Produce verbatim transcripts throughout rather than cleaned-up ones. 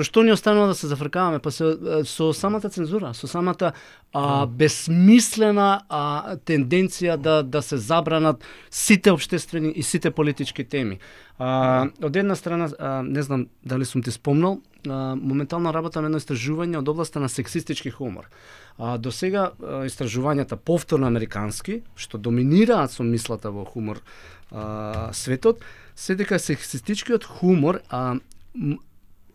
Со што ни останува да се зафркаваме? Па се, со самата цензура, со самата а, безсмислена а, тенденција да да се забранат сите општествени и сите политички теми. А, од една страна, а, не знам дали сум ти спомнал, а, моментално работам едно истражување од областа на сексистички хумор. А, до сега а, истражувањата повторно американски, што доминираат со мислата во хумор а, светот, се дека сексистичкиот хумор а, м,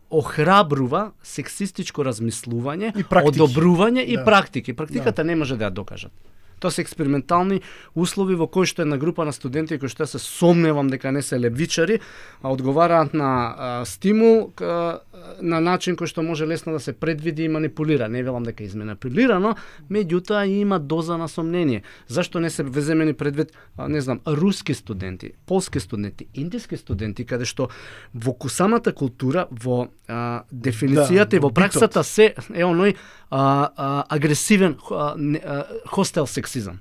охрабрува сексистичко размислување, одобрување и Да. практики. Практиката не може да ја докажат. Тоа се експериментални услови во кои што една група на студенти кои што се сомневам дека не се левичари, а одговараат на а, стимул а, на начин кој што може лесно да се предвиди и манипулира. Не велам дека е изманипулирано, меѓутоа има доза на сомнение. Зашто не се веземени предвид, а, не знам, руски студенти, полски студенти, индиски студенти, каде што во самата култура, во а, дефиницијата Да, и во во праксата се е оној а, а, агресивен а, не, а, хостел сексизам.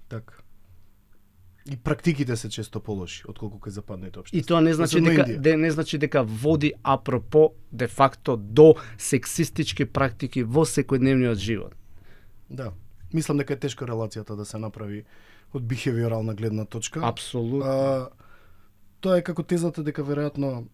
Така. И практиките се често полоши отколку кај западните општества. И тоа не значи Особено дека Индија. де, не значи дека води апропо де факто до сексистички практики во секојдневниот живот. Да. Мислам дека е тешка релацијата да се направи од бихевиорална гледна точка. Апсолутно. А, тоа е како тезата дека веројатно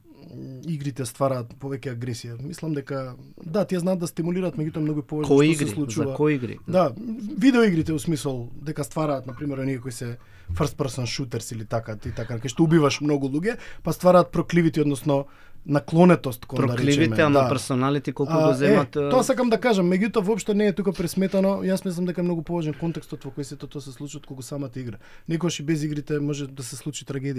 игрите ствараат повеќе агресија. Мислам дека да, тие знаат да стимулираат, меѓутоа многу повеќе Кои што се игри? случува. За кои игри? Да, видеоигрите у смисол дека ствараат на пример оние кои се first person shooters или така, ти така, кај што убиваш многу луѓе, па ствараат прокливити, односно наклонетост кон да речеме. Прокливите, ама да. персоналити колку А, го земат. Е, тоа сакам да кажам, меѓутоа воопшто не е тука пресметано. Јас мислам дека е многу поважен контекстот во кој се тоа се случи отколку самата игра. Некогаш и без игрите може да се случи трагедија